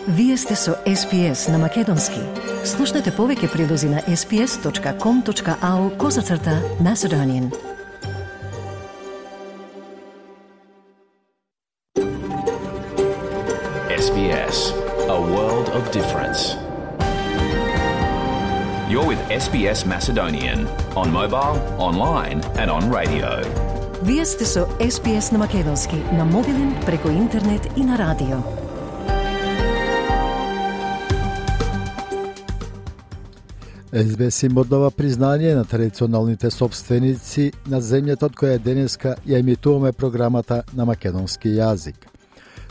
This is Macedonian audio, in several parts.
Вие сте со SPS на Македонски. Слушнете повеќе прилози на sps.com.au/Macedonian. SBS, a world of difference. You're with SBS Macedonian on mobile, online and on radio. Вие сте со SPS на Македонски на мобилен, преку интернет и на радио. SBS им оддава признание на традиционалните собственици на земјата од која денеска ја емитуваме програмата на македонски јазик.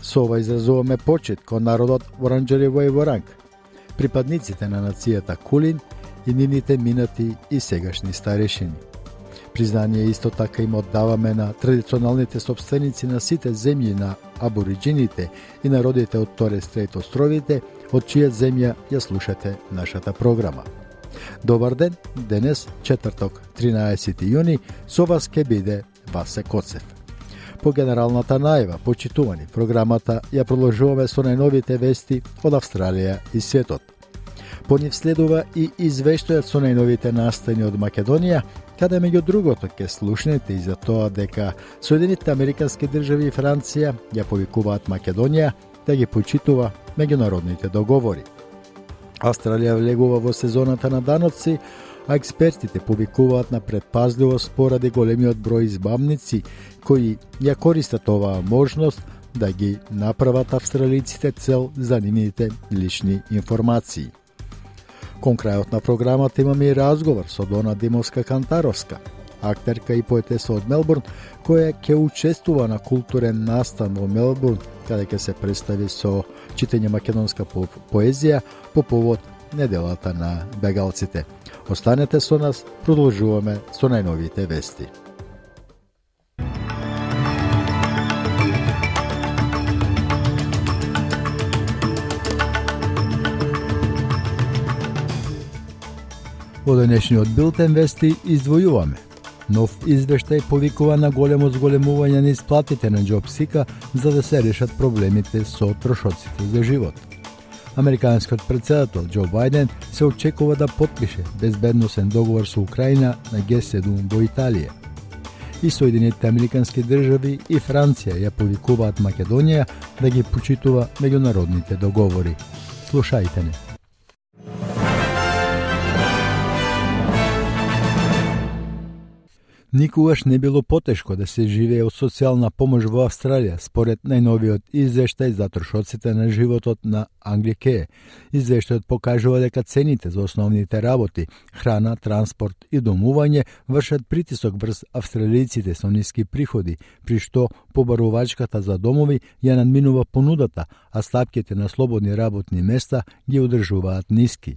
Со ова изразуваме почит кон народот Воранџари Воранг, припадниците на нацијата Кулин и нивните минати и сегашни старешини. Признание исто така им оддаваме на традиционалните собственици на сите земји на абориджините и народите од Торес Стрейт островите, од чија земја ја слушате нашата програма. Добар ден, денес, четврток, 13 јуни, со вас ке биде Васе Коцев. По генералната најава, почитувани, програмата ја продолжуваме со најновите вести од Австралија и светот. По нив следува и извештајот со најновите настани од Македонија, каде меѓу другото ке слушнете и за тоа дека Соединетите Американски држави и Франција ја повикуваат Македонија да ги почитува меѓународните договори. Австралија влегува во сезоната на даноци, а експертите повикуваат на предпазливост поради големиот број избавници кои ја користат оваа можност да ги направат австралиците цел за нивните лични информации. Кон крајот на програмата имаме и разговор со Дона Димовска-Кантаровска, актерка и поетеса од Мелбурн, која ќе учествува на културен настан во Мелбурн, каде ќе се представи со читање македонска поезија по повод неделата на бегалците. Останете со нас, продолжуваме со најновите вести. Во денешниот билтен вести издвојуваме. Нов извештај повикува на големо зголемување на исплатите на JobSeeker за да се решат проблемите со трошоците за живот. Американскиот претседател Џо Бајден се очекува да потпише безбедносен договор со Украина на Г7 во Италија. И Соединетите Американски држави и Франција ја повикуваат Македонија да ги почитува меѓународните договори. Слушајте не. Никогаш не било потешко да се живее од социјална помош во Австралија, според најновиот извештај за трошоците на животот на Англикеј. Извештајот покажува дека цените за основните работи, храна, транспорт и домување вршат притисок врз австралијците со ниски приходи, при што побарувачката за домови ја надминува понудата, а стапките на слободни работни места ги одржуваат ниски.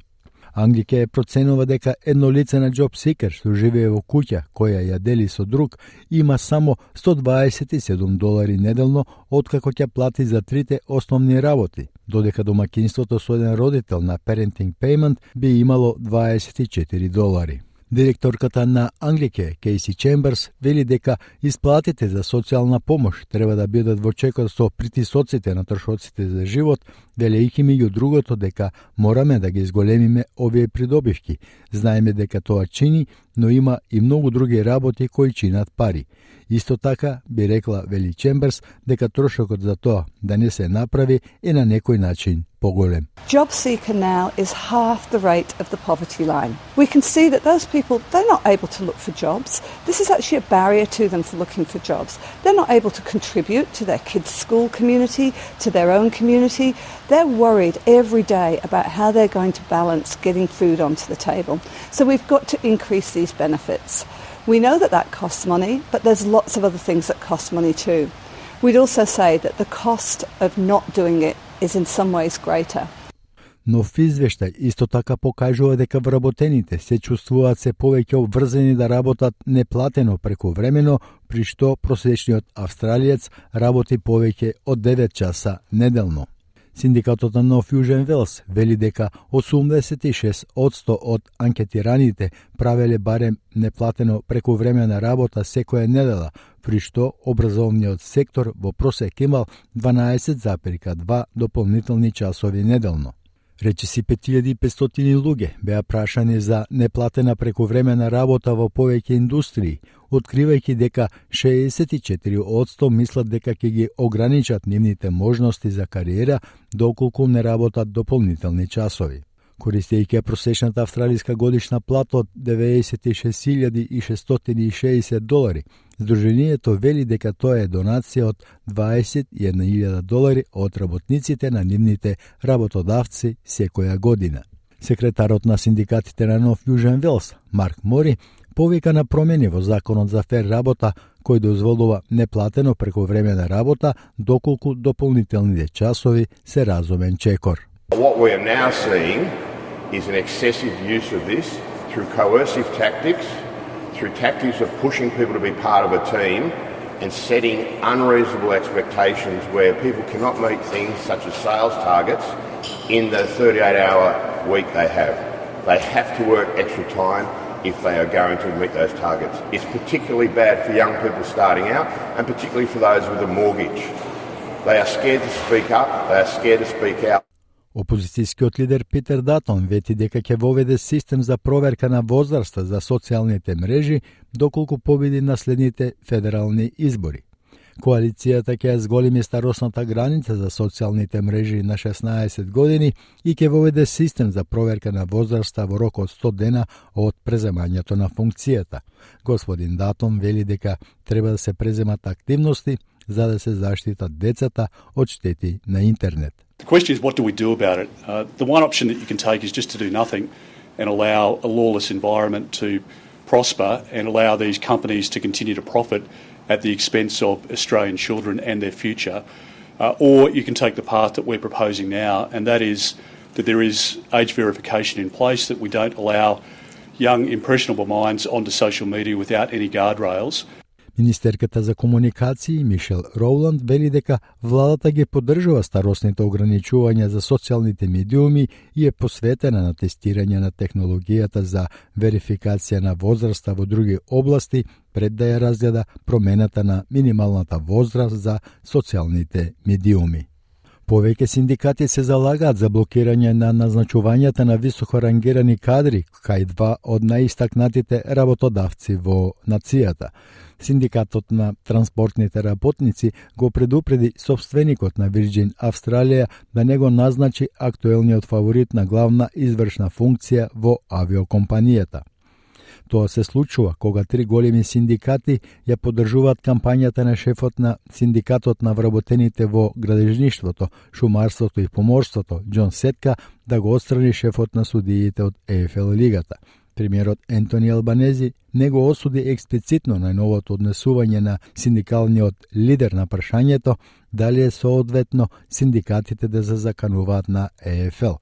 Англикеј проценува дека едно лице на JobSeeker што живее во куќа која ја дели со друг има само $127 неделно откако ќе плати за трите основни работи, додека домаќинството со еден родител на Parenting Payment би имало $24. Директорката на Англикеј, Кейси Чемберс, вели дека исплатите за социјална помош треба да бидат во чекор со притисоците на трошоците за живот, велејќи меѓу другото дека мораме да ги изголемиме овие придобивки. Знаеме дека тоа чини, но има и многу други работи кои чинат пари. Исто така би рекла, вели Чемберс, дека трошокот за тоа да не се направи е на некој начин поголем. JobSeeker now is half the rate of the poverty line. We can see that those people, they're not able to look for jobs. This is actually a barrier to them for looking for jobs. They're not able to contribute to their kids' school community, to their own community. They're worried every day about how they're going to balance getting food onto the table. So we've got to increase these benefits. We know that that costs money, but there's lots of other things that cost money too. We'd also say that the cost of not doing it is in some ways greater. Нов извештај исто така покажува дека вработените се чувствуваат се повеќе обврзани да работат неплатено прекувремено, при што просечниот австралиец работи повеќе од 9 часа неделно. Синдикатот на Нов Јужен Велс вели дека 86% од анкетираните правеле барем неплатено прековремена работа секоја недела, при што образовниот сектор во просек имал 12,2 дополнителни часови неделно. Речиси 5500 луѓе беа прашани за неплатена прековремена работа во повеќе индустрии, откривајќи дека 64% мислат дека ќе ги ограничат нивните можности за кариера доколку не работат дополнителни часови. Користејќи просечната австралиска годишна плата од $96,660, Сдруженијето вели дека тоа е донација од $21,000 од работниците на нивните работодавци секоја година. Секретарот на синдикатите на Нов Јужен Велс, Марк Мори, повика на промени во законот за фер работа кој дозволува неплатено прековремена работа доколку дополнителните часови се разумен чекор. What we are now seeing is an excessive use of this through coercive tactics, through tactics of pushing people to be part of a team and setting unreasonable expectations where people cannot meet things such as sales targets in the 38-hour week they have. They have to work extra time if they are going to meet those targets. It's particularly bad for young people starting out and particularly for those with a mortgage. They are scared to speak up, they are scared to speak out. Опозицијскиот лидер Питер Датон вети дека ќе воведе систем за проверка на возраста за социјалните мрежи доколку победи на следните федерални избори. Коалицијата ќе ја зголеми старосната граница за социјалните мрежи на 16 години и ќе воведе систем за проверка на возраста во рок од 100 дена од преземањето на функцијата. Господин Датон вели дека треба да се преземат активности за да се заштитат децата од штети на интернет. The question is, what do we do about it? The one option that you can take is just to do nothing and allow a lawless environment to prosper and allow these companies to continue to profit at the expense of Australian children and their future. Or you can take the path that we're proposing now, and that is that there is age verification in place, that we don't allow young, impressionable minds onto social media without any guardrails. Министерката за комуникации Мишел Роуланд вели дека владата ги поддржува старосните ограничувања за социјалните медиуми и е посветена на тестирање на технологијата за верификација на возраста во други области пред да ја разгледа промената на минималната возраст за социјалните медиуми. Повеќе синдикати се залагаат за блокирање на назначувањата на високо рангирани кадри кај два од најистакнатите работодавци во нацијата. Синдикатот на транспортните работници го предупреди собственикот на Virgin Австралија да не го назначи актуелниот фаворит на главна извршна функција во авиокомпанијата. Тоа се случува кога три големи синдикати ја поддржуваат кампањата на шефот на синдикатот на вработените во градежништвото, шумарството и поморството, Џон Сетка, да го отстрани шефот на судиите од ЕФЛ лигата. Премиерот Ентони Албанези не го осуди експлицитно најновото однесување на синдикалниот лидер на прашањето дали е соодветно синдикатите да се закануваат на ЕФЛ.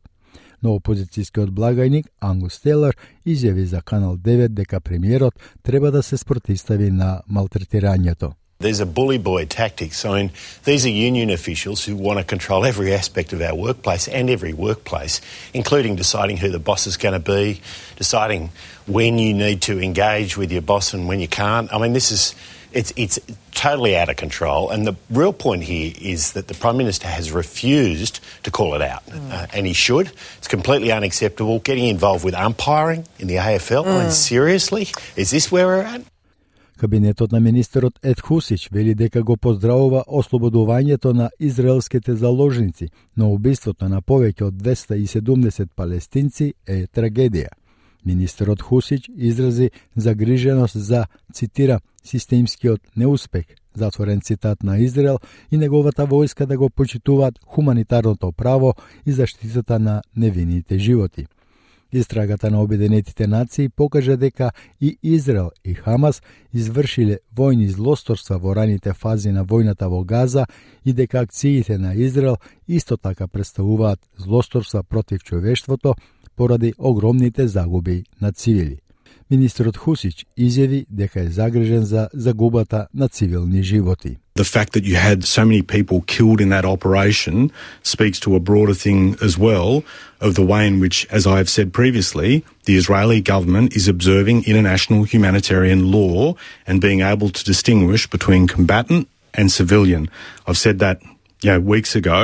Но опозицијскиот благајник Ангус Тейлор изјави за Канал 9 дека премиерот треба да се спротистави на малтретирањето. These are bully boy tactics. I mean, these are union officials who want to control every aspect of our workplace and every workplace, including deciding who the boss is going to be, deciding when you need to engage with your boss and when you can't. I mean, it's totally out of control. And the real point here is that the Prime Minister has refused to call it out. And he should. It's completely unacceptable. Getting involved with umpiring in the AFL. I mean, seriously? Is this where we're at? Кабинетот на министерот Ед Хусич вели дека го поздравува ослободувањето на израелските заложници, но убиството на повеќе од 270 палестинци е трагедија. Министерот Хусич изрази загриженост за, цитира, системскиот неуспех, затворен цитат на Израел и неговата војска да го почитуваат хуманитарното право и заштитата на невините животи. Истрагата на Обединетите нации покажа дека и Израел и Хамас извршиле војни злосторства во раните фази на војната во Газа и дека акциите на Израел исто така представуваат злосторства против човештвото поради огромните загуби на цивили. Министерот Хусич изјави дека е загрижен за загубата на цивилни животи. The fact that you had so many people killed in that operation speaks to a broader thing as well of the way in which, as I have said previously, the Israeli government is observing international humanitarian law and being able to distinguish between combatant and civilian. I've said that weeks ago,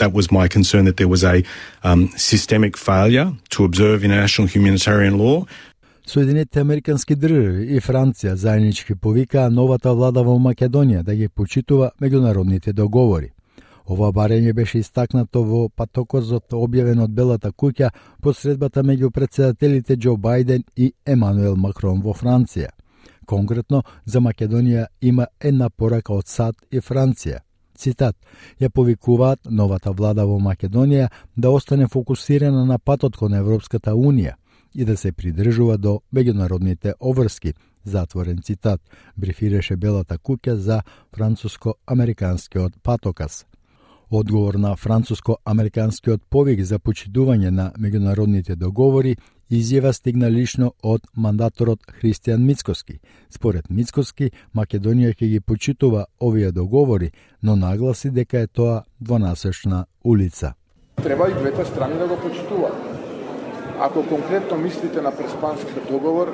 that was my concern, that there was a systemic failure to observe international humanitarian law. Соединетите Американски држави и Франција заеднички повикаа новата влада во Македонија да ги почитува меѓународните договори. Ова барање беше истакнато во патокозот објавен од Белата куќа под средбата меѓу претседателите Џо Бајден и Емануел Макрон во Франција. Конкретно, за Македонија има една порака од САД и Франција. Цитат: ја повикуваат новата влада во Македонија да остане фокусирана на патот кон Европската Унија и да се придржува до меѓународните обврски, затворен цитат, брифираше Белата куќа за француско-американскиот патоказ. Одговор на француско-американскиот повик за почитување на меѓународните договори изјава стигна лично од мандаторот Христијан Мицкоски. Според Мицкоски, Македонија ќе ги почитува овие договори, но нагласи дека е тоа двонасечна улица. Треба и двете страни да го почитуваат. Ако конкретно мислите на Преспанскиот договор,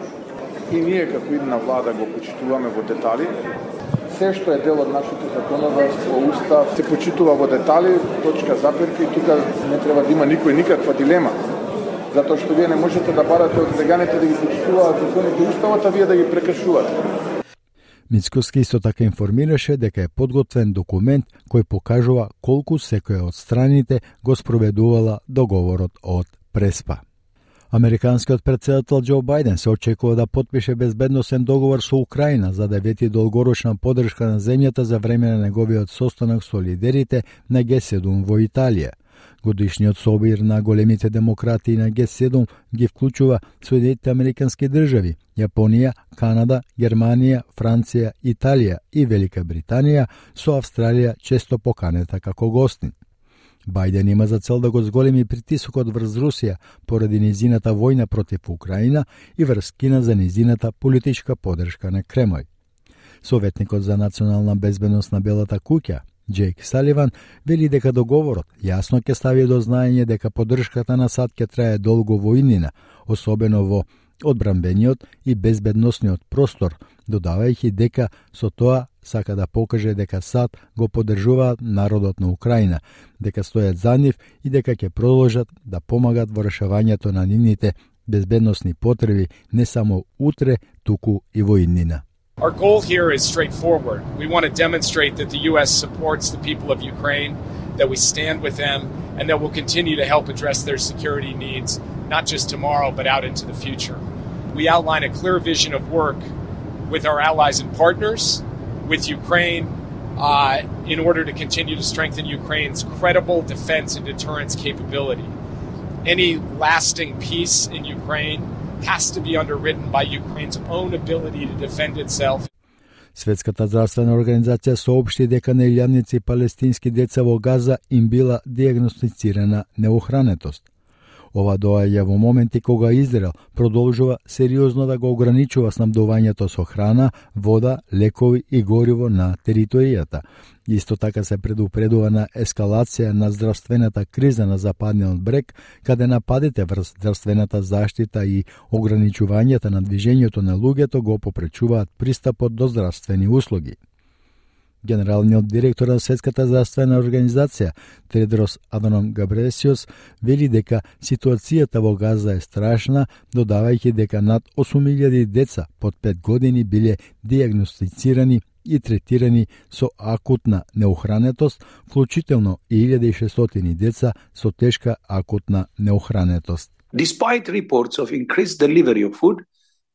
и ние како идна влада го почитуваме во детали, се што е дел од нашето законодавство, устав, се почитува во детали, точка запирка, и тука не треба да има никаква дилема. Затоа што вие не можете да барате од леганите да ги почитуваат законите и уставот, а вие да ги прекршувате. Мицкоски исто така информираше дека е подготвен документ кој покажува колку секоја од страните го спроведувала договорот од Преспа. Американскиот претседател Џо Бајден се очекува да потпише безбедносен договор со Украина за да вети долгорочна поддршка на земјата за време на неговиот состанок со лидерите на Г7 во Италија. Годишниот собир на големите демократи на Г7 ги вклучува Соединетите Американски држави, Јапонија, Канада, Германија, Франција, Италија и Велика Британија, со Австралија често поканета како гостин. Бајден има за цел да го зголеми притисокот врз Русија поради низината војна против Украина и врз Кина за низината политичка поддршка на Кремљ. Советникот за национална безбедност на Белата куќа, Џејк Саливан, вели дека договорот јасно ќе стави до знаење дека поддршката на САД ќе трае долго во иднина, особено во одбранбениот и безбедносниот простор, додавајќи дека со тоа сака да покаже дека САД го поддржуваат народот на Украина, дека стојат за нив и дека ќе продолжат да помагат во решавањето на нивните безбедносни потреби не само утре, туку и во иднина. Our goal here is straightforward. We want to demonstrate that the U.S. supports the people of Ukraine, that we stand with them, and that we'll continue to help address their security needs, not just tomorrow, but out into the future. We outline a clear vision of work with our allies and partners, with Ukraine, in order to continue to strengthen Ukraine's credible defense and deterrence capability. Any lasting peace in Ukraine has to be underwritten by Ukraine's own ability to defend itself. Светската здравствена организација соопшти дека на илјадници палестински деца во Газа им била диагностицирана неохранетост. Ова доаѓа во моменти кога Израел продолжува сериозно да го ограничува снабдувањето со храна, вода, лекови и гориво на територијата. Исто така се предупредува на ескалација на здравствената криза на Западниот брег, каде нападите врз здравствената заштита и ограничувањето на движењето на луѓето го попречуваат пристапот до здравствени услуги. Генералниот директор на Светската здравствена организација, Тедрос Аданом Габресиос, вели дека ситуацијата во Газа е страшна, додавајќи дека над 8.000 деца под 5 години биле диагностицирани и третирани со акутна неохранетост, вклучително и 1.600 деца со тешка акутна неохранетост. Despite reports of increased delivery of food,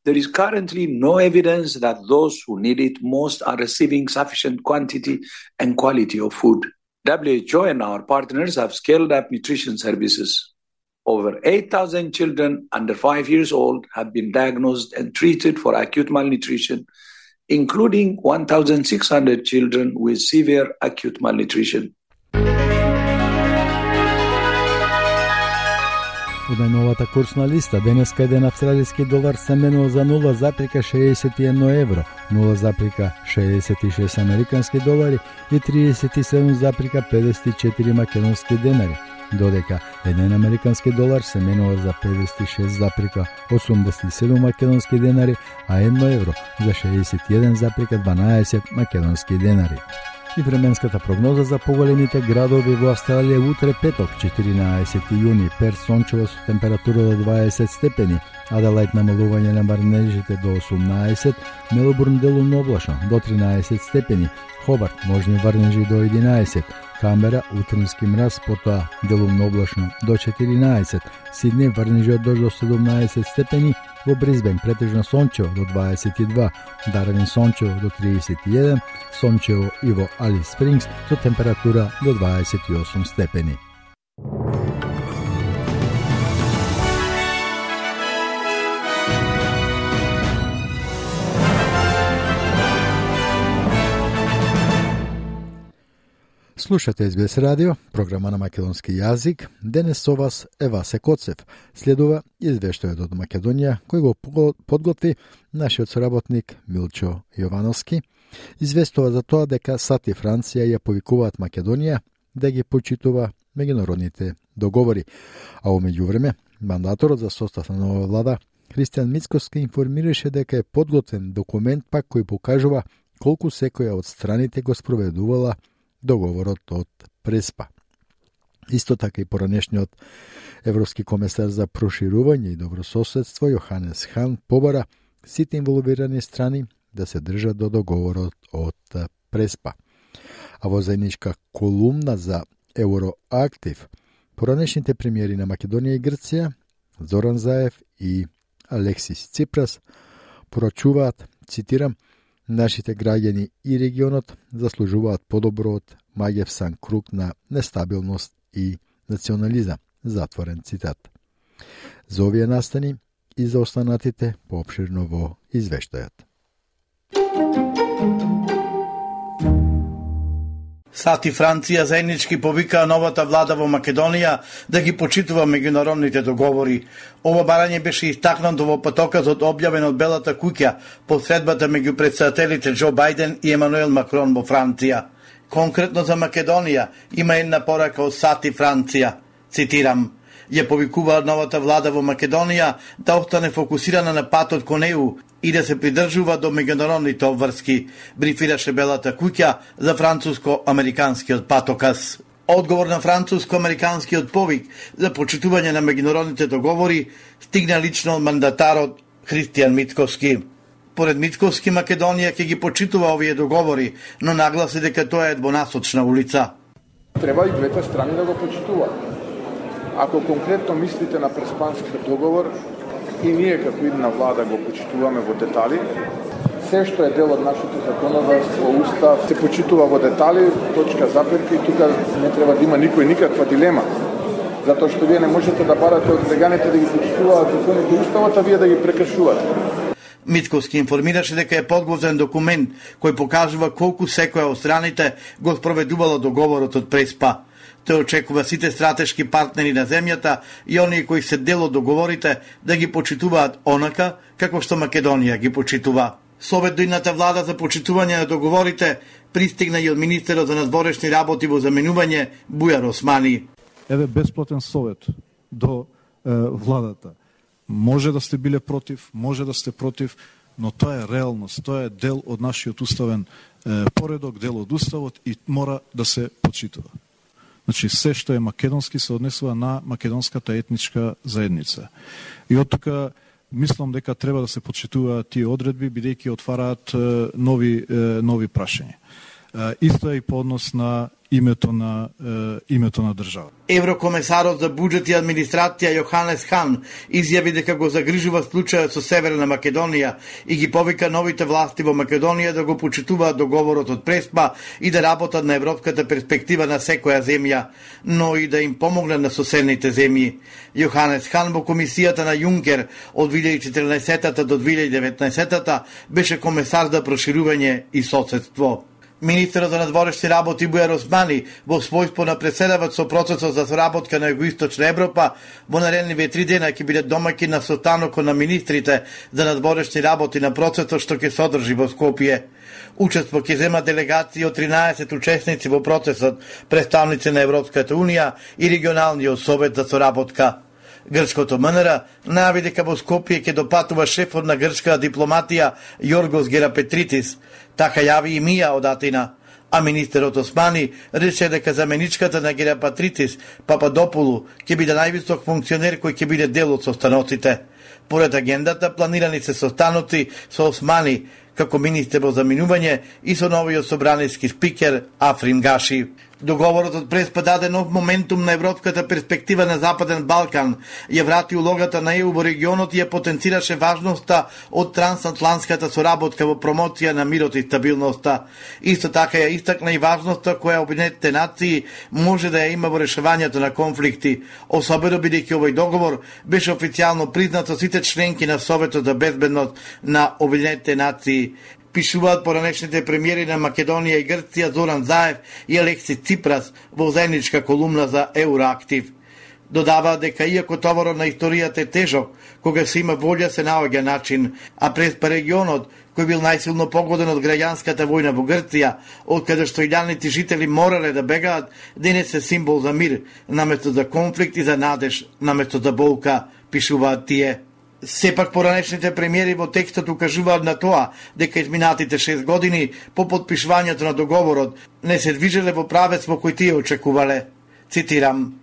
there is currently no evidence that those who need it most are receiving sufficient quantity and quality of food. WHO and our partners have scaled up nutrition services. Over 8,000 children under 5 years old have been diagnosed and treated for acute malnutrition, including 1,600 children with severe acute malnutrition. Од најновата курсна листа, денеска еден австралиски долар се менува за 0,61 евро, 0,66 американски долари и 37,54 македонски денари, додека еден американски долар се менува за 56,87 македонски денари, а 1 евро за 61,12 македонски денари. И временската прогноза за поголемите градови во Австралија утре петок, 14 јуни, Перт сончево со температура до 20 степени, Аделаид намалување на врнежите до 18, Мелбурн делумно облачно до 13 степени, Хобарт можни врнежи до 11, Камбера утрински мраз, потоа делумно облачно до 14, Сиднеј врнежи од дожд до 17 степени, во Брисбен претежно сончево до 22, Дарвин сончево до 31, сончево и во Алис Спрингс со температура до 28 степени. Слушате СБС радио, програма на македонски јазик. Денес со вас е Васе Коцев. Следува извештајот од Македонија, кој го подготви нашиот соработник Милчо Јовановски. Известува за тоа дека САД и Франција ја повикуваат Македонија да ги почитува меѓународните договори. А во меѓувреме, мандаторот за состав на нова влада, Христијан Мицкоски, информираше дека е подготвен документ пак кој покажува колку секоја од страните го спроведувала договорот од Преспа. Исто така и поранешниот европски комесар за проширување и добрососедство Јоханес Хан побара сите инволвирани страни да се држат до договорот од Преспа. А во заедничка колумна за Евроактив, поранешните премиери на Македонија и Грција, Зоран Заев и Алексис Ципрас, порачуваат, цитирам, нашите граѓани и регионот заслужуваат подобро од маѓевсан круг на нестабилност и национализам. Затворен цитат. За овие настани и за останатите поопширно во извештајот. САД и Франција заеднички повикаа новата влада во Македонија да ги почитува меѓународните договори. Ова барање беше истакнато во патоказот објавен од Белата куќа по средбата меѓу претседателите Џо Бајден и Емануел Макрон во Франција. Конкретно за Македонија има една порака од САД и Франција. Цитирам: ја повикуваат новата влада во Македонија да остане фокусирана на патот кон ЕУ и да се придржува до меѓународните обврски, брифираше Белата куќа за француско-американскиот патоказ. Одговор на француско-американскиот повик за почитување на меѓународните договори стигна лично од мандатарот Христијан Мицкоски. Поред Мицкоски, Македонија ќе ги почитува овие договори, но нагласи дека тоа е двонасочна улица. Треба и двете страни да го почитуваат. Ако конкретно мислите на Преспанскиот договор, и ние како една влада го почитуваме во детали, се што е дел од нашето законодавство, устав, се почитува во детали, точка, запетка, и тука не треба да има никој никаква дилема. Затоа што вие не можете да барате од леганите да ги почитуваат законите и уставот, а вие да ги прекршувате. Мицкоски информираше дека е подготвен документ кој покажува колку секоја од страните го спроведувала договорот од Преспа. Тој очекува сите стратешки партнери на земјата и оние кои се дел од договорите да ги почитуваат онака како што Македонија ги почитува. Совет до идната влада за почитување на договорите пристигна и од министерот за надворешни работи во заменување Бујар Османи. Еве бесплатен совет до владата. Може да сте биле против, може да сте против, но тоа е реалност, тоа е дел од нашиот уставен поредок, дел од уставот и мора да се почитува. Значи, се што е македонски се однесува на македонската етничка заедница. И од тука мислам дека треба да се почитуваат тие одредби, бидејќи отвараат нови прашања. Исто е и по однос на името на држава. Еврокомесарот за буџет и администрација Јоханес Хан изјави дека го загрижува случајот со Северна Македонија и ги повика новите власти во Македонија да го почитуваат договорот од Преспа и да работат на европската перспектива на секоја земја, но и да им помогнат на соседните земји. Јоханес Хан во комисијата на Јункер од 2014 до 2019 беше комесар за проширување и соседство. Министерот за надворешни работи Бујар Османи во својство на преседавач со процесот за соработка на Југоисточна Европа во наредниве 3 дена ќе биде домаќин на состанокот на министрите за надворешни работи на процесот што ќе се одржи во Скопје. Учество ќе зема делегации од 13 учесници во процесот, представници на Европската Унија и регионалниот совет за соработка. Грчкото МНР најави дека во Скопје ќе допатува шефот на грчката дипломатија Јоргос Герапетритис, така јави и Мија од Атина. А министерот Османи рече дека заменичката на Герапетритис Пападопулу ќе биде највисок функционер кој ќе биде дел од состаноците. Поред агендата планирани се состаноци со Османи како министер во заминување и со новиот собраниски спикер Африн Гаши. Договорот од Преспа даде нов моментум на европската перспектива на Западен Балкан, ја врати улогата на ЕУ во регионот и ја потенцираше важноста од трансатлантската соработка во промоција на мирот и стабилноста. Исто така ја истакна и важноста која Обединетите нации може да ја има во решавањето на конфликти, особено бидејќи овој договор беше официјално признат со сите членки на Советот за безбедност на Обединетите нации. Пишуваат поранешните премиери на Македонија и Грција Зоран Заев и Алекси Ципрас во заедничка колумна за Евроактив. Додаваат дека иако товарот на историјата е тежок, кога се има волја се наоѓа начин, а Преспа регионот, кој бил најсилно погоден од граѓанската војна во Грција, од каде што илјадници жители морале да бегаат, денес е символ за мир, наместо за конфликт и за надеж, наместо за болка, пишуваат тие. Сепак поранешните премиери во текстот укажуваат на тоа дека изминатите 6 години по подпишувањето на договорот не се движеле во правец во кој тие очекувале. Цитирам: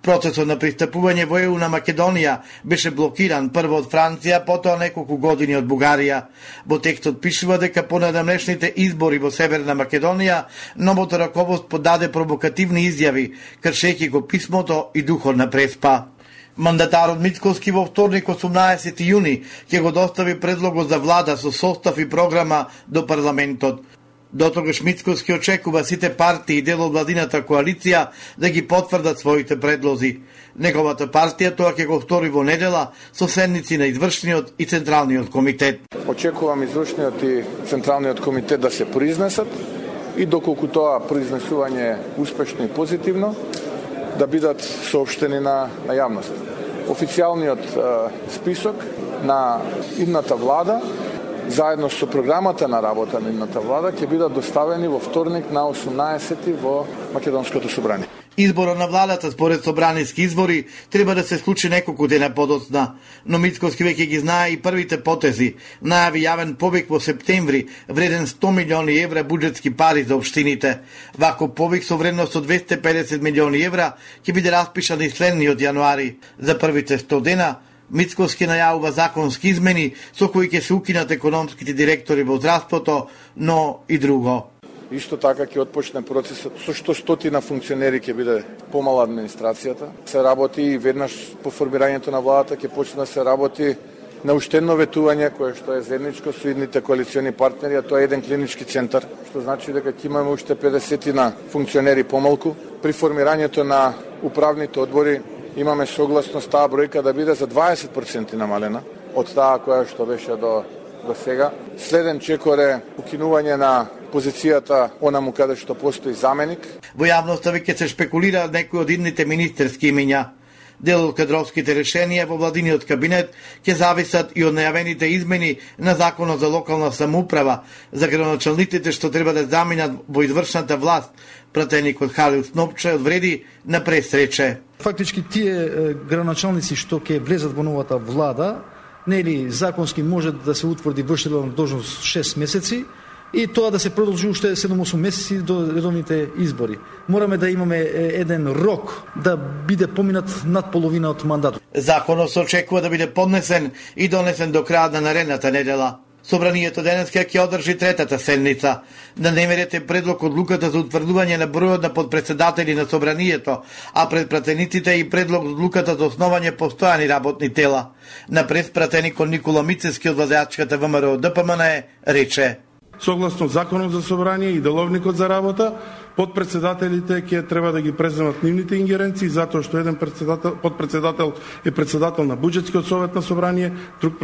процесот на пристапување во ЕУ на Македонија беше блокиран прво од Франција, потоа неколку години од Бугарија. Во текстот пишува дека по надамнешните избори во Северна Македонија новото раководство подаде провокативни изјави, кршејќи го писмото и духот на Преспа. Мандатарот Мицкоски во вторник 18 јуни ќе го достави предлогот за влада со состав и програма до парламентот. Дотогаш Мицкоски очекува сите партии и дел од владината коалиција да ги потврдат своите предлози. Неговата партија тоа ќе го втори во недела со седници на извршниот и централниот комитет. Очекувам извршниот и централниот комитет да се произнесат и доколку тоа произнесување е успешно и позитивно, да бидат соопштени на јавност. Официјалниот список на идната влада, заедно со програмата на работа на идната влада, ќе бидат доставени во вторник на 18 во Македонското собрание. Изборот на владата според собраниски избори треба да се случи неколку дена подоцна, но Мицкоски веќе ги знае и првите потези. Најави јавен повик во септември вреден 100 милиони евра буџетски пари за општините. Вако повик со вредност од 250 милиони евра ќе биде распишан и следниот јануари. За првите 100 дена Мицкоски најавува законски измени со кои ќе се укинат економските директори во здравството, но и друго. Исто така ќе отпочне процесот со што стотина функционери ќе биде помала администрацијата. Се работи и веднаш по формирањето на владата ќе почне да се работи на уштедно ветување кое што е заедничко со идните коалициони партнери, а тоа е еден клинички центар, што значи дека ќе имаме уште 50 функционери помалку. При формирањето на управните одбори имаме согласност таа бројка да биде за 20% намалена од таа која што беше до сега. Следен чекор е укинување на позицијата онаму каде што постои заменик. Во јавноста веќе се шпекулира некои од идните министерски имиња. Дел од кадровските решенија во владиниот кабинет ќе зависат и од најавените измени на Законот за локална самоуправа за градоначалниците што треба да заминат во извршната власт. Пратеникот Халил Снопче одвреди на пресрече. Фактички тие градоначалници што ќе влезат во новата влада, нели законски може да се утврди вршителна должност 6 месеци и тоа да се продолжи уште 7-8 месеци до редовните избори. Мораме да имаме еден рок да биде поминат над половина од мандатот. Законот се очекува да биде поднесен и донесен до крајот на наредната недела. Собранието денеска ќе одржи третата седница. На дневниот ред предлог одлуката за утврдување на бројот на подпредседатели на собранието, а пред пратениците и предлог одлуката за основање постојани работни тела. На пратеникот Никола Мицевски од владеачката ВМРО ДПМН рече: согласно Законот за собрание и деловникот за работа, подпредседателите ќе треба да ги преземат нивните ингеренции, затоа што еден подпредседател е председател на буџетскиот совет на собрание, друг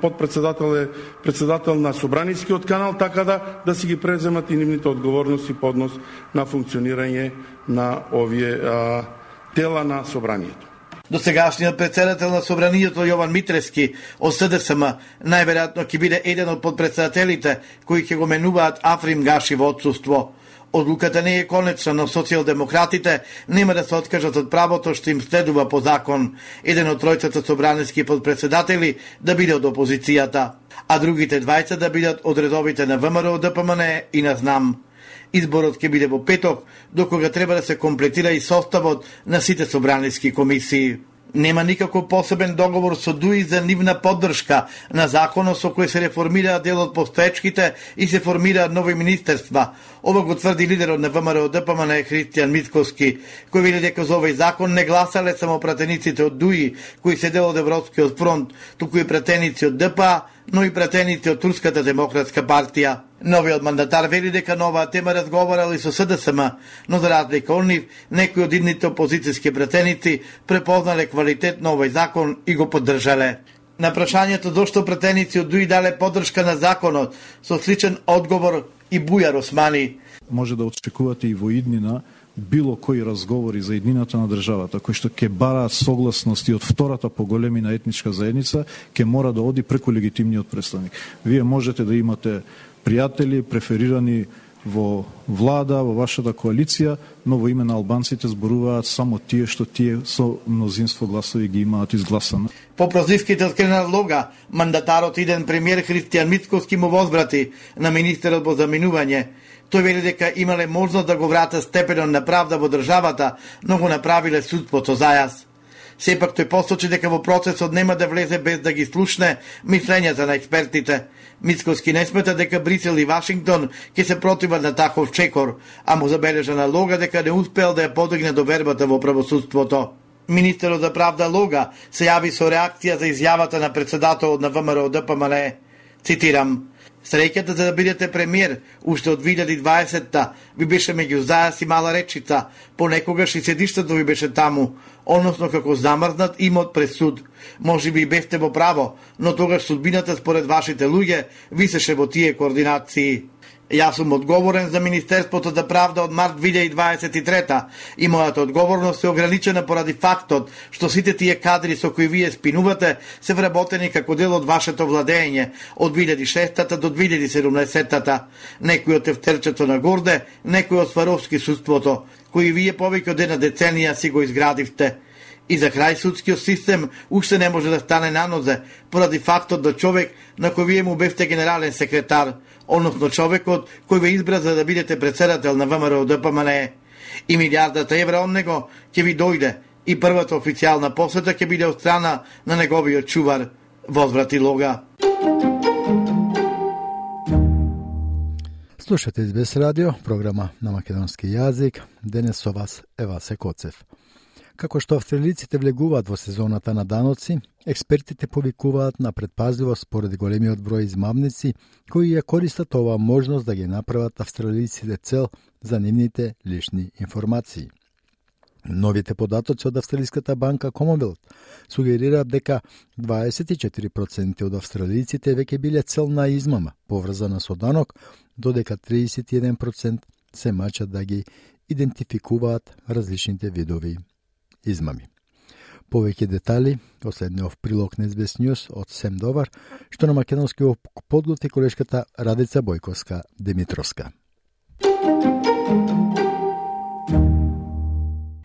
подпредседател е председател на собранискиот канал, така да си ги преземат и нивните одговорности по однос на функционирање на овие тела на собранието. Досегашниот председател на собранието Јован Митревски од СДСМ најверојатно ќе биде еден од подпредседателите кои ќе го менуваат Африм Гаши во отсуство. Одлуката не е конечна, но социјалдемократите нема да се откажат од правото што им следува по закон. Еден од тројцата собраниски подпредседатели да биде од опозицијата, а другите двајца да бидат од редовите на ВМРО, ДПМН и на ЗНАМ. Изборот ќе биде во петок, докога треба да се комплетира и составот на сите собраниски комисии. Нема никаков посебен договор со ДУИ за нивна поддршка на законот со кој се реформираат дел од постоечките и се формираат нови министерства. Ова го тврди лидерот на ВМРО ДПМН Христијан Мицковски, кој вели дека за овој закон не гласале само пратениците од ДУИ, кои се дел од Европскиот фронт, туку и пратеници од ДПА, но и пратеници од Турската демократска партија. Новиот мандатар вели дека на оваа тема разговарал и со СДСМ, но за разлика од нив, некои од идните опозицијски пратеници препознале квалитет на овој закон и го поддржале. На прашањето зошто пратеници од ДУИ дале поддршка на законот, со сличен одговор и Бујар Османи. Може да очекувате и во иднина било кои разговори за иднината на државата, кои што ќе бараат согласност и од втората поголемина етничка заедница, ќе мора да оди преку легитимниот представник. Вие можете да имате пријатели, преферирани во влада, во вашата коалиција, но во име на албанците зборуваат само тие што тие со мнозинство гласови ги имаат изгласано. По прозивките од Кренар Лога, мандатарот иден премиер Христијан Мицковски му возбрати на министерот во заминување. Тој вели дека имале можност да го вратат степенот на правда во државата, но го направиле судството зајас. Сепак тој посочи дека во процесот нема да влезе без да ги слушне мислењата на експертите. Мицковски не смета дека Брисел и Вашингтон ќе се противат на таков чекор, а му забележа на Лога дека не успел да ја подигне довербата во правосудството. Министерот за правда Лога се јави со реакција за изјавата на председателот на ВМРО ДПМН. Цитирам: "Среќата за да бидете премиер уште од 2020-та ви беше меѓу зајас и мала речица, понекогаш и седиштето ви беше таму, односно како замрзнат имот пред суд. Може би и бевте во право, но тогаш судбината според вашите луѓе висеше во тие координации. Јас сум одговорен за Министерството за правда од март 2023 и мојата одговорност е ограничена поради фактот што сите тие кадри со кои вие спинувате се вработени како дел од вашето владење од 2006 до 2017. Некои од тефтерчето на Горде, некои од Сваровски судството, кои вие повеќе од една деценија си го изградивте. И за крај судскиот систем уште не може да стане на нозе поради фактот да човек на кој вие му бевте генерален секретар, односно човекот кој ве избра за да бидете председател на ВМРО ДПМН. И милиардата евра од него ќе ви дојде и првата официјална посета ќе биде од страна на неговиот чувар, возврати Лога. Слушате СБС радио, програма на македонски јазик. Денес со вас е Васе Коцев. Како што австралиците влегуваат во сезоната на даноци, експертите повикуваат на предпазливост поради големиот број измамници кои ја користат оваа можност да ги направат австралиците цел за нивните лични информации. Новите податоци од Австралиската банка Commonwealth сугерираат дека 24% од австралиците веќе биле цел на измама поврзана со данок, додека 31% се мачат да ги идентификуваат различните видови измами. Повеќе детали во следниот прилог на СБС News од Сем Довар, што на македонски подготви колешката Радица Бојковска-Димитровска.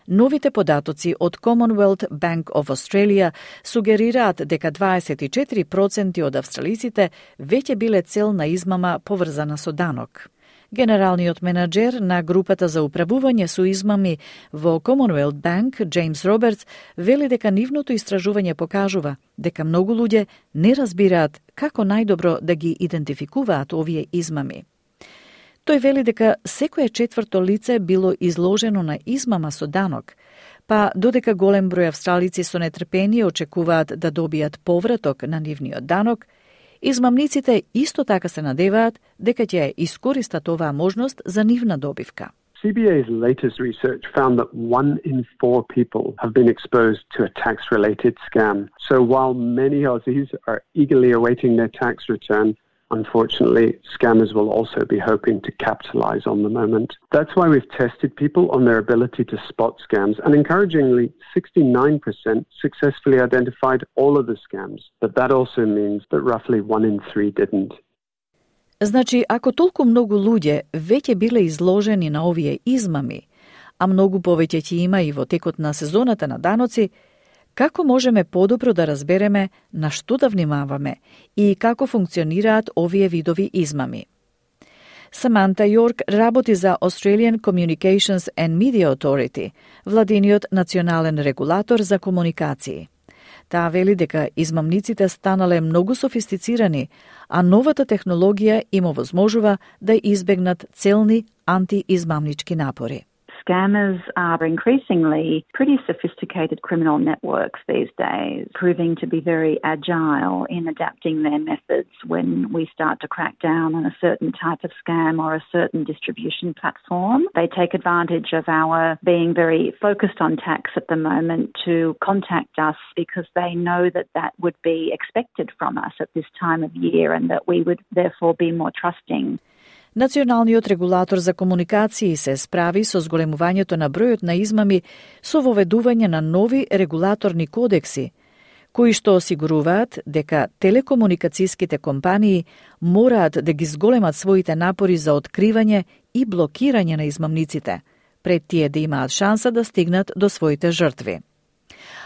Новите податоци од Commonwealth Bank of Australia сугерираат дека 24% од австралиците веќе биле цел на измама поврзана со данок. Генералниот менаџер на групата за управување со измами во Commonwealth Bank, Джеймс Робертс, вели дека нивното истражување покажува дека многу луѓе не разбираат како најдобро да ги идентификуваат овие измами. Тој вели дека секое четврто лице било изложено на измама со данок, па додека голем број австралици со нетрпение очекуваат да добијат повраток на нивниот данок, измамниците исто така се надеваат дека ќе искористат оваа можност за нивна добивка. CBA's latest research found that 1 in 4 people have been exposed to a tax-related scam. So while many Aussies are eagerly awaiting their tax return, unfortunately, scammers will also be hoping to capitalize on the moment. That's why we've tested people on their ability to spot scams, and encouragingly, 69% successfully identified all of the scams. But that also means that roughly 1 in 3 didn't. Значи, ако толку многу луѓе веќе биле изложени на овие измами, а многу повеќе ќе има и во текот на сезоната на даноци, како можеме подобро да разбереме на што да внимаваме и како функционираат овие видови измами? Саманта Јорк работи за Australian Communications and Media Authority, владиниот национален регулатор за комуникации. Таа вели дека измамниците станале многу софистицирани, а новата технологија им овозможува да избегнат целни антиизмамнички напори. Scammers are increasingly pretty sophisticated criminal networks these days, proving to be very agile in adapting their methods when we start to crack down on a certain type of scam or a certain distribution platform. They take advantage of our being very focused on tax at the moment to contact us because they know that that would be expected from us at this time of year and that we would therefore be more trusting. Националниот регулатор за комуникации се справи со зголемувањето на бројот на измами со воведување на нови регулаторни кодекси, кои што осигуруваат дека телекомуникацијските компании мораат да ги зголемат своите напори за откривање и блокирање на измамниците, пред тие да имаат шанса да стигнат до своите жртви.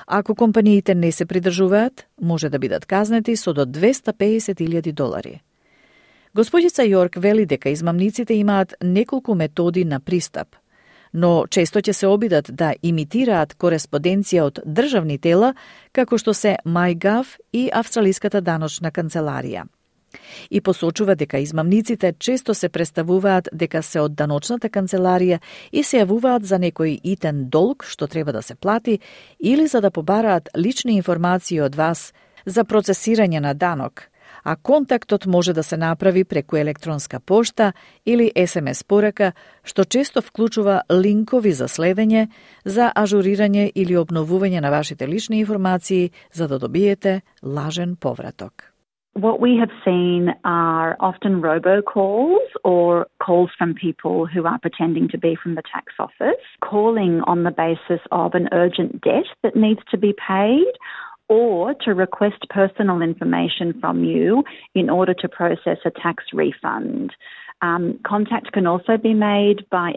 Ако компаниите не се придржуваат, може да бидат казнети со до $250,000. Госпоđica Јорк вели дека измамниците имаат неколку методи на пристап, но често ќе се обидат да имитираат кореспонденција од државни тела, како што се MyGov и Австралиската даночна канцеларија. И посочува дека измамниците често се представуваат дека се од даночната канцеларија и се јавуваат за некој итен долг што треба да се плати или за да побараат лични информации од вас за процесирање на данок, а контактот може да се направи преку електронска пошта или SMS порака, што често вклучува линкови за следење, за ажурирање или обновување на вашите лични информации за да добиете лажен повраток. What we have seen are often robocalls or calls from people who are pretending to be from the tax office, calling on the basis of an urgent debt that needs to be paid, or to request personal information from you in order to process a tax refund. Contact can also be made by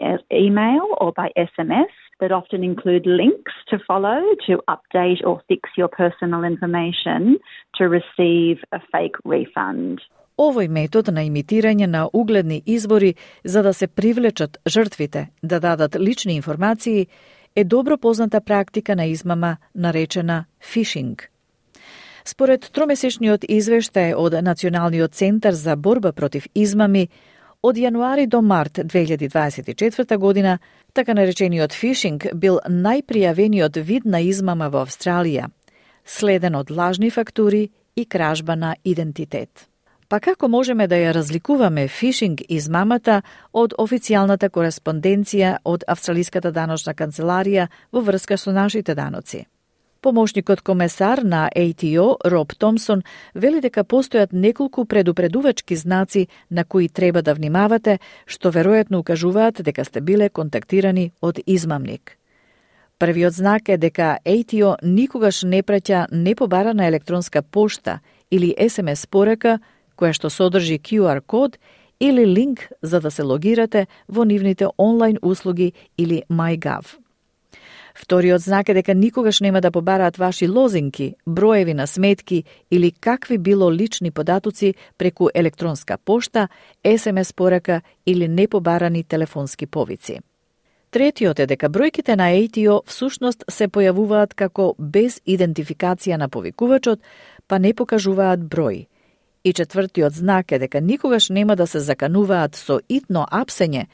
email or by SMS that often include links to follow to update or fix your personal information to receive a fake refund. Овој метод на имитирање на угледни извори за да се привлечат жртвите да дадат лични информации е добро позната практика на измама наречена фишинг. Според тромесечниот извештај од Националниот центар за борба против измами, од јануари до март 2024 година, така наречениот фишинг бил најпријавениот вид на измама во Австралија, следен од лажни фактури и кражба на идентитет. Па како можеме да ја разликуваме фишинг измамата од официјалната кореспонденција од Австралиската даночна канцеларија во врска со нашите даноци? Помошникот комесар на ATO, Роб Томсон, вели дека постојат неколку предупредувачки знаци на кои треба да внимавате, што веројатно укажуваат дека сте биле контактирани од измамник. Првиот знак е дека ATO никогаш не праќа непобарана електронска пошта или SMS порака која што содржи QR код или линк за да се логирате во нивните онлайн услуги или MyGov. Вториот знак е дека никогаш нема да побараат ваши лозинки, броеви на сметки или какви било лични податоци преку електронска пошта, SMS порака или непобарани телефонски повици. Третиот е дека бројките на ATO всушност се појавуваат како без идентификација на повикувачот, па не покажуваат број. И четвртиот знак е дека никогаш нема да се закануваат со итно апсење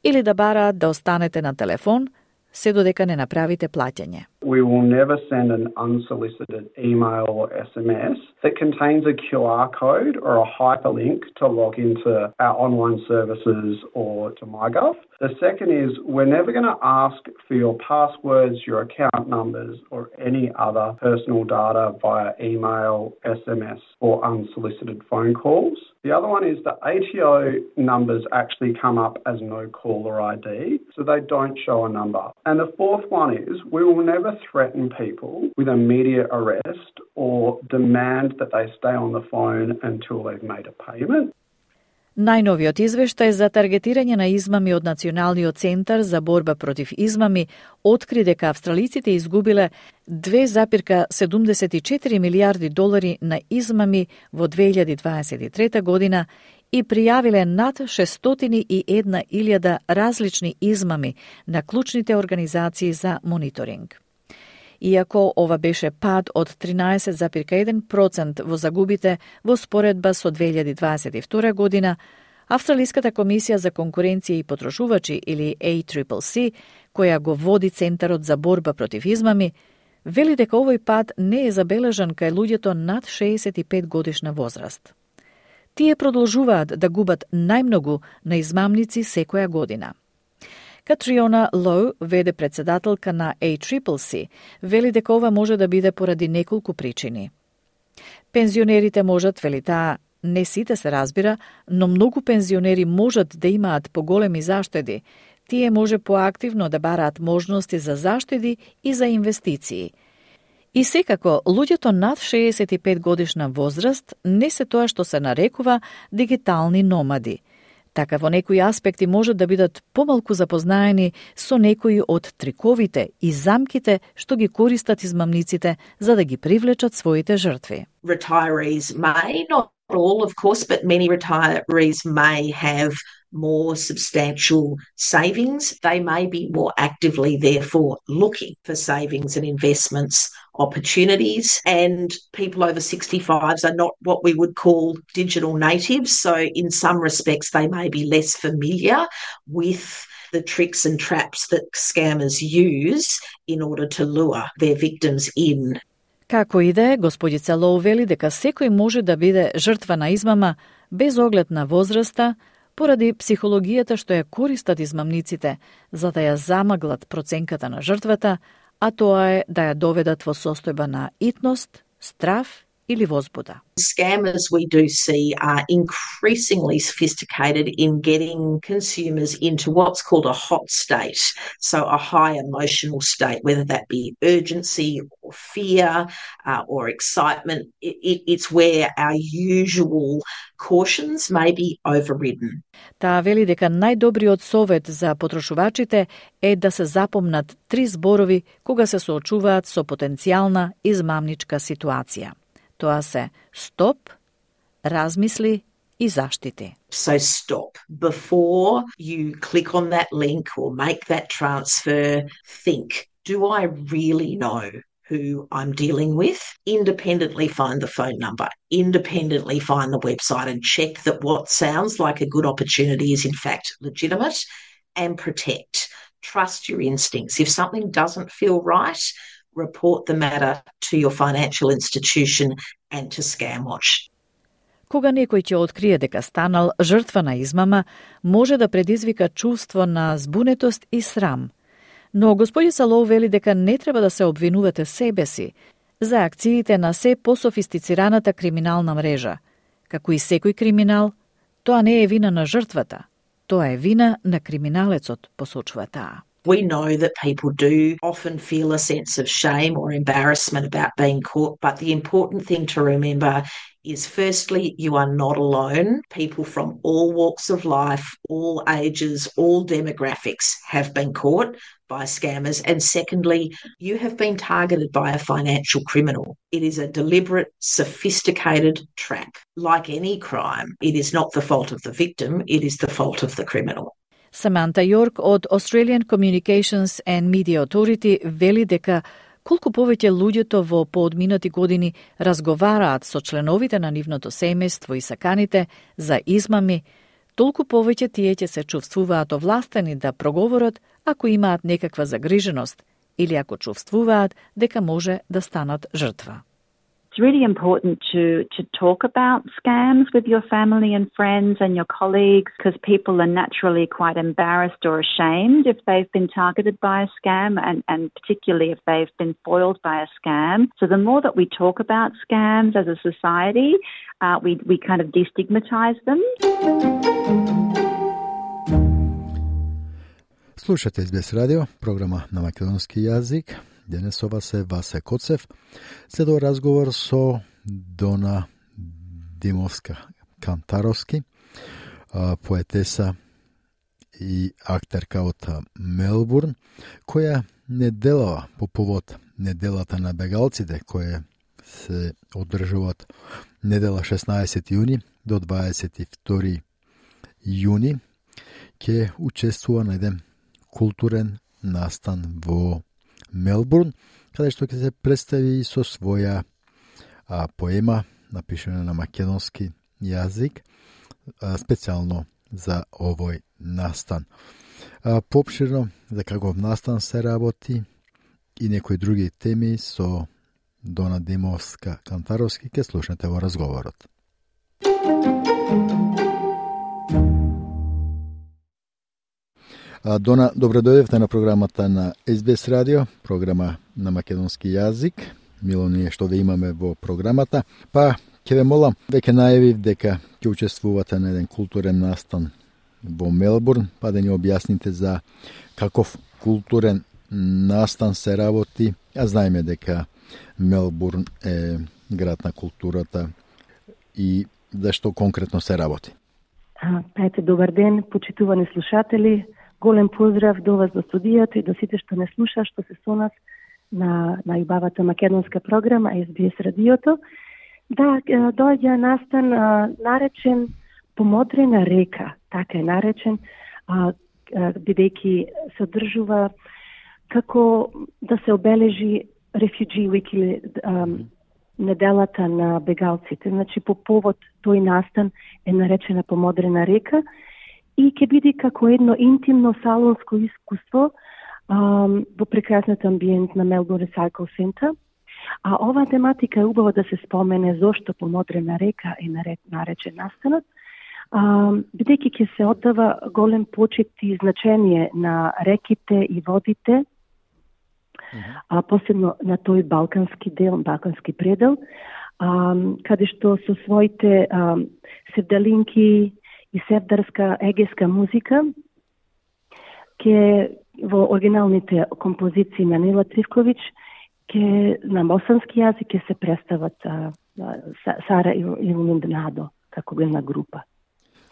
или да бараат да останете на телефон, се додека не направите плаќање. We will never send an unsolicited email or SMS that contains a QR code or a hyperlink to log into our online services or to MyGov. The second is we're never going to ask for your passwords, your account numbers or any other personal data via email, SMS or unsolicited phone calls. The other one is the ATO numbers actually come up as no caller ID, so they don't show a number. And the fourth one is we will never threaten people with immediate arrest or demand that they stay on the phone until they've made a payment. Најновиот извештај за таргетирање на измами од Националниот центар за борба против измами откри дека австралиците изгубиле 2,74 милиарди долари на измами во 2023 година и пријавиле над 601.000 различни измами на клучните организации за мониторинг. Иако ова беше пад од 13,1% во загубите во споредба со 2022 година, Австралиската комисија за конкуренција и потрошувачи или ACCC, која го води Центарот за борба против измами, вели дека овој пад не е забележан кај луѓето над 65 годишна возраст. Тие продолжуваат да губат најмногу на измамници секоја година. Катриона Лоу, веде председателка на ACCC, вели дека ова може да биде поради неколку причини. Пензионерите можат, вели таа, не сите се разбира, но многу пензионери можат да имаат поголеми заштеди. Тие може поактивно да бараат можности за заштеди и за инвестиции. И секако, луѓето над 65 годишна возраст не се тоа што се нарекува дигитални номади. Така во некои аспекти можат да бидат помалку запознаени со некои од триковите и замките што ги користат измамниците за да ги привлечат своите жртви. Retirees may, not all of course, but many retirees may have more substantial savings. They may be more actively therefore looking for savings and investments opportunities, and people over 65s are not what we would call digital natives, so in some respects they may be less familiar with the tricks and traps that scammers use in order to lure their victims in. Како и да е, господица Лоу вели дека секој може да биде жртва на измама без оглед на возраста, поради психологијата што ја користат измамниците за да ја замаглат проценката на жртвата, а тоа е да ја доведат во состојба на итност, страв или возбуда. Scammers we do see are increasingly sophisticated in getting consumers into what's called a hot state, so a high emotional state, whether that be urgency or fear or excitement. It's where our usual cautions may be overridden. Таа вели дека најдобриот совет за потрошувачите е да се запомнат 3 зборови кога се соочуваат со потенцијална измамничка ситуација. Тоа се стоп, размисли и заштити. So stop. Before you click on that link or make that transfer, think, do I really know who I'm dealing with? Independently find the phone number, independently find the website and check that what sounds like a good opportunity is in fact legitimate, and protect. Trust your instincts. If something doesn't feel right, report the matter to your financial institution and to Scamwatch. Кога некој ќе открие дека станал жртва на измама, може да предизвика чувство на збунетост и срам. Но господица Лоу вели дека не треба да се обвинувате себе си за акциите на се пософистицираната криминална мрежа. Како и секој криминал, тоа не е вина на жртвата, тоа е вина на криминалецот, посочува таа. We know that people do often feel a sense of shame or embarrassment about being caught, but the important thing to remember is firstly, you are not alone. People from all walks of life, all ages, all demographics have been caught by scammers. And secondly, you have been targeted by a financial criminal. It is a deliberate, sophisticated trap. Like any crime, it is not the fault of the victim, it is the fault of the criminal. Саманта Јорк од Australian Communications and Media Authority вели дека колку повеќе луѓето во поодминати години разговараат со членовите на нивното семејство и саканите за измами, толку повеќе тие ќе се чувствуваат овластени да проговорат ако имаат некаква загриженост или ако чувствуваат дека може да станат жртва. It's really important to talk about scams with your family and friends and your colleagues, because people are naturally quite embarrassed or ashamed if they've been targeted by a scam, and particularly if they've been foiled by a scam. So the more that we talk about scams as a society, we kind of destigmatize them. Слушате SBS радио, програма на македонски јазик. Денес ова се Васе Коцев, се до разговор со Дона Димовска-Кантаровски, поетеса и актерка од Мелбурн, која неделава по повод неделата на бегалците, која се одржуваат недела 16 јуни до 22 јуни, ќе учествува на еден културен настан во Мелбурн, каде што ќе се представи со своја поема, напишана на македонски јазик, специјално за овој настан. Поопширно за каков настан се работи и некои други теми со Дона Димовска-Кантаровски ќе слушнете во разговорот. Дона, добро дојдевте на програмата на SBS радио, програма на македонски јазик. Мило ни е што ве имаме во програмата. Па, ќе ве молам, веќе најавив дека ќе учествувате на еден културен настан во Мелбурн, па да ни објасните за каков културен настан се работи. А знаеме дека Мелбурн е град на културата и зашто конкретно се работи. Ете, добар ден, почитувани слушатели. Голем поздрав до вас, до студијата и до сите што не слуша, што се со нас на најубавата македонска програма SBS радиото. Да, доаѓа настан наречен Помодрена река, така е наречен, бидејќи се одржува како да се обележи Refugee Week или неделата на бегалците. Значи, по повод тој настан е наречена Помодрена река и ќе биде како едно интимно салонско искуство во прекрасниот амбиент на Melbourne Recycle Center. А оваа тематика е убаво да се спомене зошто Помодрена река е наречен настанот, бидејќи ќе се оддава голем почит и значение на реките и водите, посебно на тој балкански дел, балкански предел, каде што со своите севдалинки и севдарска егеска музика ке во оригиналните композиции на Нела Тривковиќ ке на босански јазик ке се представат Сара и Лунднадо како една група.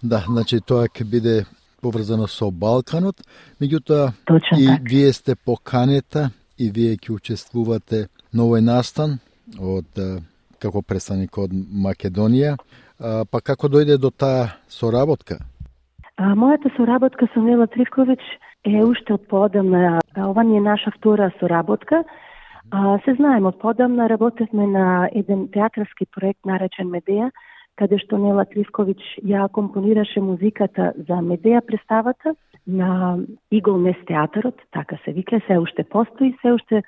Да, значи тоа ќе биде поврзано со Балканот, меѓутоа и так. Вие сте поканета и вие ќе учествувате на овој настан од како представник од Македонија. Па како дојде до таа соработка? Мојата соработка со Нела Тривковиќ е уште од поодамна. Ова не е наша втора соработка. Се знаеме од поодамна, работевме на еден театарски проект наречен Медеја, каде што Нела Тривковиќ ја компонираше музиката за Медеја представата на Игол Нес театарот, така се вика, се уште постои, се уште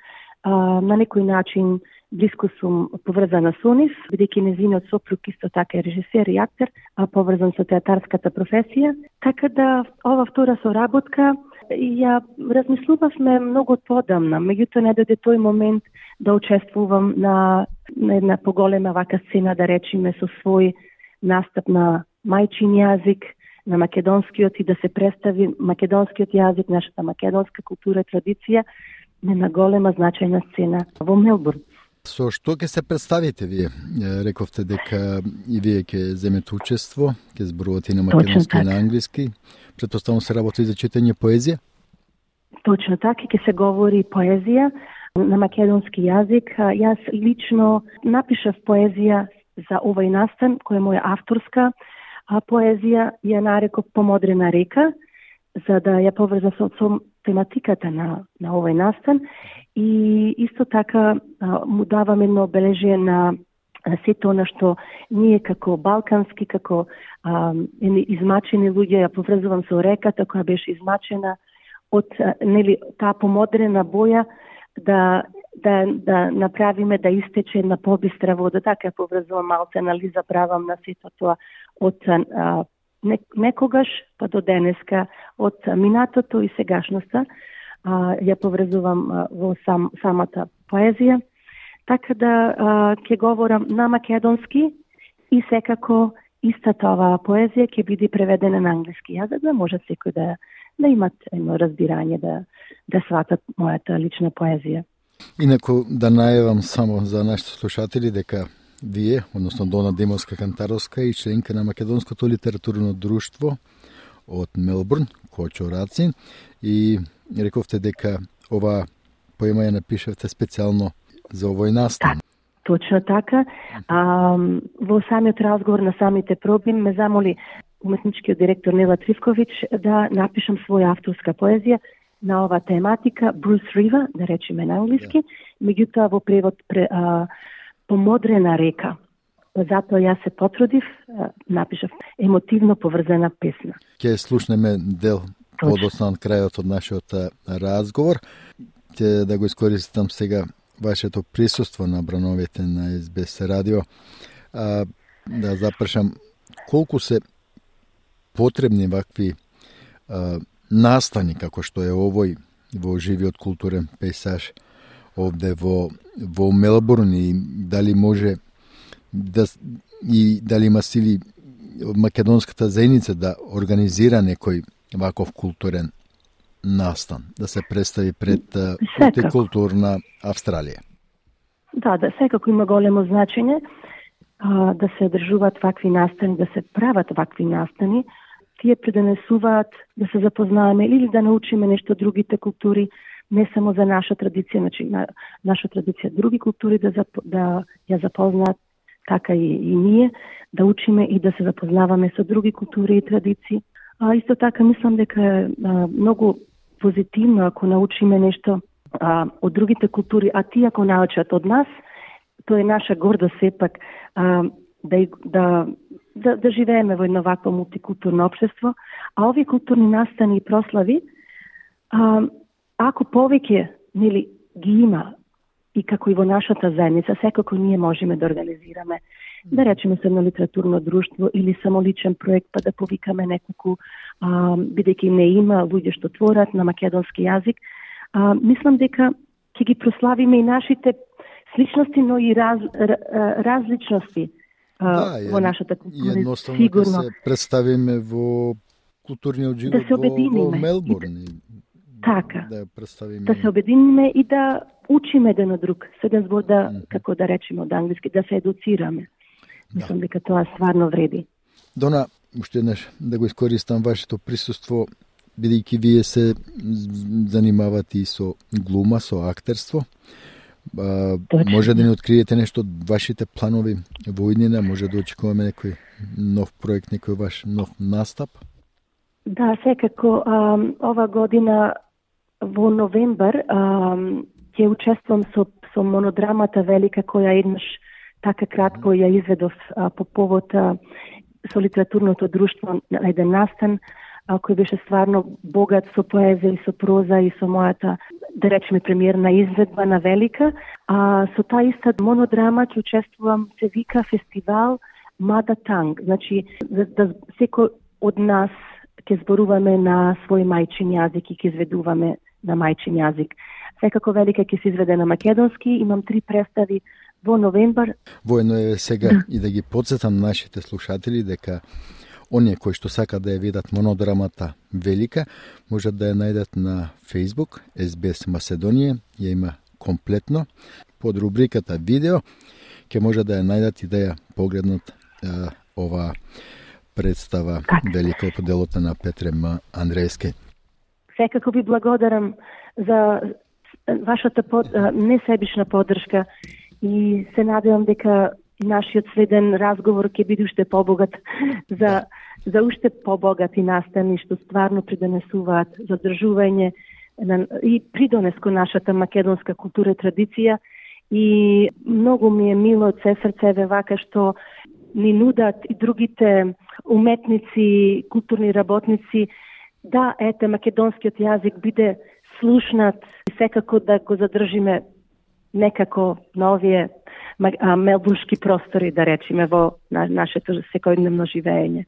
на некој начин блиско сум поврзана со нив, бидејќи незиниот сопруг исто така е режисер и актер, поврзан со театарската професија. Така да ова втора соработка ја размислувавме многу подамна, меѓутоа не дојде тој момент да учествувам на една поголема вака сцена, да речеме, со свој настап на мајчин јазик, на македонскиот и да се представи македонскиот јазик, нашата македонска култура и традиција на една голема значајна сцена во Мелбурн. Со што ќе се представите вие? Рековте дека и вие ќе земете учество, ќе зборувате на македонски и на англиски. Претпоставам се работи за читање поезија? Точно така, ќе се говори поезија на македонски јазик. Јас лично напишав поезија за овој настан, која е моја авторска поезија, ја нареков Помодрена река, за да ја поврзам со тематиката на овој настан и исто така му давам едно обележие на сето она што ние како балкански, како измачени луѓе ја поврзувам со реката која беше измачена од таа помодрена боја да направиме да истече на побистра вода, така поврзувам малце анализа правам на сето тоа од некогаш па до денеска, од минатото и сегашноста, ја поврзувам во самата поезија, така да ќе говорам на македонски и секако истата оваа поезија ќе биде преведена на англиски јазик, да може секој да имат едно разбирање, да сватат мојата лична поезија. Инаку да најавам само за нашите слушатели дека вие, односно Дона Демовска-Кантаровска и членка на Македонското литературно друштво од Мелбурн, Кочораци, и рековте дека ова поема ја напишавте специјално за овој настан. Точно така. Во самиот разговор на самите проби ме замоли уметничкиот директор Нела Тривковиќ да напишам своја авторска поезија на ова тематика, Брус Рива, да речеме на англиски, меѓутоа во превод Помодрена река. Затоа јас се потрудив, напишав емотивно поврзана песна. Ќе слушнеме дел подоцна крајот од нашиот разговор. Ќе да го искористам сега вашето присуство на брановите на СБС радио. Да запрашам, колку се потребни вакви настани како што е овој во живиот културен пейсаж овде во Мелбурн, и дали може дали има сили македонската заедница да организира некој ваков културен настан, да се представи пред мултикултурна Австралија? Да, секако има големо значење да се одржуваат вакви настани, да се прават вакви настани. Тие придонесуваат да се запознаваме или да научиме нешто од другите култури, не само за наша традиција, значи наша традиција, други култури да ја запознаат, така и ние, да учиме и да се запознаваме со други култури и традиции. Исто така мислам дека е многу позитивно ако научиме нешто од другите култури, а тие ако научат од нас, тоа е наша гордост сепак да живееме во едно вакво мултикултурно општество, а овие културни настани и прослави, ако повеќе ги има и како и во нашата заедница, секако ние можеме да организираме, да речеме се едно литературно друштво или само личен проект, па да повикаме неколку, бидејќи не има луѓе што творат на македонски јазик. Мислам дека ќе ги прославиме и нашите сличности, но и различности во нашата култура. Едноставно да се представиме во културниот живот во Мелбурн. Така, да се обединиме и да учиме еден од друг, седен збор како да речеме од англиски, да се едуцираме. Мислам дека тоа стварно вреди. Дона, уште еднаш да го искористам вашето присуство, бидејќи вие се занимавате и со глума, со актерство. Може да ни откриете нешто од вашите планови во иднина, може да очекуваме некој нов проект, некој ваш нов настап? Да, секако. Ова година во новембар ќе учествувам со монодрамата Велика, која еднаш така кратко ја изведов по повод со литературното друштво на еден настан, кој беше стварно богат со поезија и со проза и со мојата, да речеме, премиерна изведба на Велика. Со таа иста монодрама ќе учествувам, се вика фестивал Мада Танг. Значи, да секој од нас ќе зборуваме на свој мајчин јазик и ќе изведуваме на мајчин јазик. Секако Велика ќе се изведе на македонски, имам 3 представи во новембар. Воено е сега и да ги подсетам нашите слушатели дека оние кои што сака да ја видат монодрамата Велика, можат да ја најдат на Facebook, SBS Macedonија, ја има комплетно. Под рубриката видео, ќе може да ја најдат и да ја погледнат ова представа Велика по делото на Петре М. Андрејски. Секако ви благодарам за вашата несебична поддршка и се надевам дека нашиот следен разговор ќе биде уште побогат за уште побогати настани што стварно придонесуваат задржување и придонес кон нашата македонска култура и традиција. И многу ми е мило од се срцеве вака што ни нудат и другите уметници, културни работници, да, ете, македонскиот јазик биде слушнат и секако да го задржиме некако на овие мелбурнски простори, да речеме, во нашето секојдневно живење.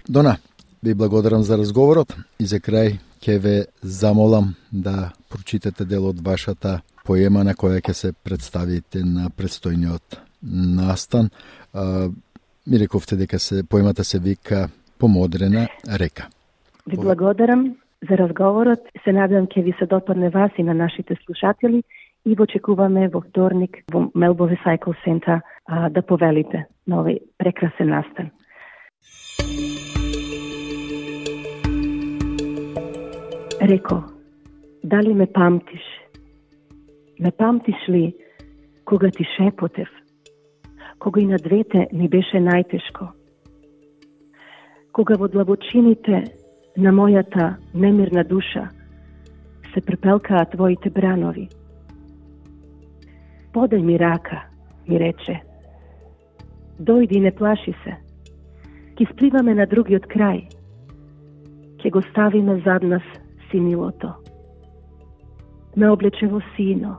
Дона, ви благодарам за разговорот и за крај ќе ве замолам да прочитате дел од вашата поема на која ќе се представите на предстојниот настан. Ми рековте дека поемата се вика Помодрена река. Ви благодарам за разговорот. Се надевам ќе ви се допадне вас и на нашите слушатели и во очекуваме во вторник во Melbourne Recycle Center да повелите на овој прекрасен настан. Реко, дали ме памтиш? Ме памтиш ли кога ти шепотев? Кога и на двете ни беше најтешко? Кога во длабочините на мојата немирна душа се препелкаа твоите бранови? Подај ми рака, ми рече. Дојди, не плаши се. Ки спливаме на другиот крај. Ке го ставиме зад нас синилото. Ме облече во сино,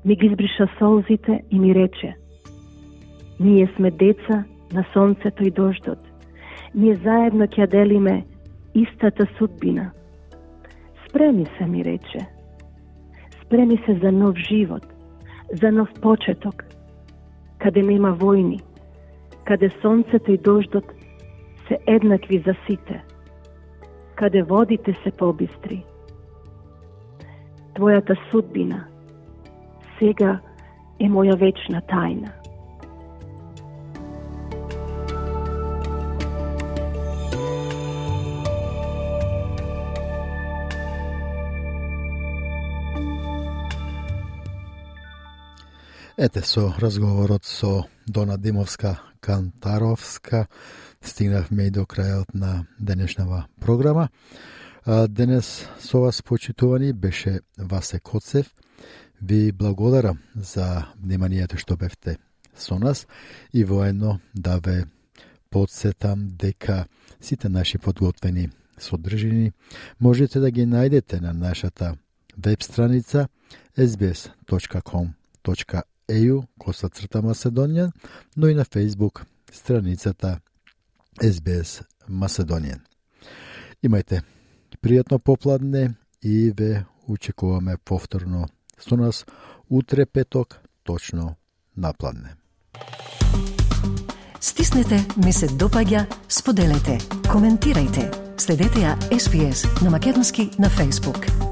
ми ги избриша солзите и ми рече: ние сме деца на сонцето и дождот. Ние заедно ќе делиме истата судбина. Спреми се, ми рече. Спреми се за нов живот, за нов почеток, каде нема војни, каде сонцето и дождот се еднакви за сите, каде водите се побистри. Твојата судбина сега е моја вечна тајна. Ете, со разговорот со Дона Димовска-Кантаровска стигнавме и до крајот на денешнава програма. Денес со вас, почитувани, беше Васе Коцев. Ви благодарам за вниманието што бевте со нас и воедно да ве подсетам дека сите наши подготвени содржини можете да ги најдете на нашата веб страница sbs.com.eu/Macedonian, но и на Facebook страницата SBS Macedonian. Имајте пријатно попладне и ве очекуваме повторно со нас утре петок точно напладне. Стиснете, ми се допаѓа, споделете, коментирајте. Следете ја SBS на македонски на Facebook.